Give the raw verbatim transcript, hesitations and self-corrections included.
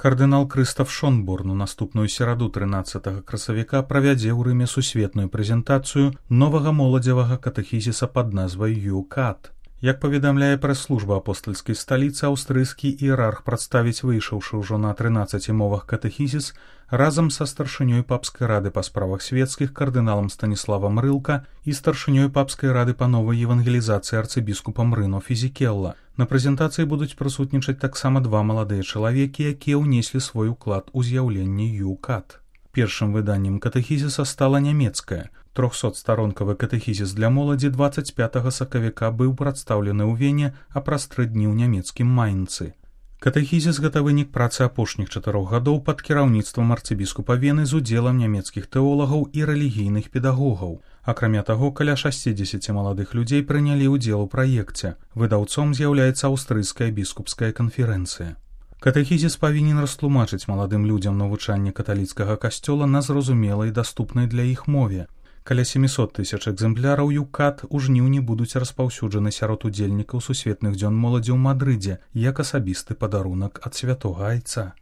Кардынал Крыстаф Шонборн у наступную сераду трынаццатага красавіка правядзе ў Рыме сусветную прэзентацыю новага моладзевага катэхізіса пад назвай ю-кат. Як паведамляе прэс-служба апостальскай сталіцы, аўстрыйскі іерарх прадставіць выйшаўшы ўжо на трынаццаці мовах катэхізіс разам са старшынёй папскай рады па справах свецкіх кардыналам Станіславам Рылка і старшынёй папскай рады па новай евангелізацыі арцыбіскупам Рыно Фізікелла. На прэзентацыі будуць прысутнічаць таксама два маладыя чалавекі, якія ўнеслі свой уклад у з'яўленне ю-кат. Першым выданнем катэхізіса стала нямецкая. трохсотстаронкавы катэхізіс для моладзі дваццаць пятага сакавіка быў прадстаўлены ў Вене, а праз тры дні ў нямецкім Майнцы. Катэхізіс гэта вынік працы апошніх чатырох гадоў пад кіраўніцтвам арцыбіскупа Вены з удзелам нямецкіх тэолагаў і рэлігійных педагогаў. Акрамя таго, каля шасцідзесяці маладых людзей прынялі ўдзел у праекце. Выдаўцом з'яўляецца аўстрыйская біскупская канферэнцыя. Катэхізіс павінен растлумачыць маладым людзям навучанне каталіцкага касцёла на зразумелай і даступнай для іх мове. Каля сямісот тысяч экземпляраў ю-кат у жніўні будуць распаўсюджаны сярод удзельнікаў сусветных дзён моладзі ў Мадрыдзе як асабісты падарунак ад святога айца.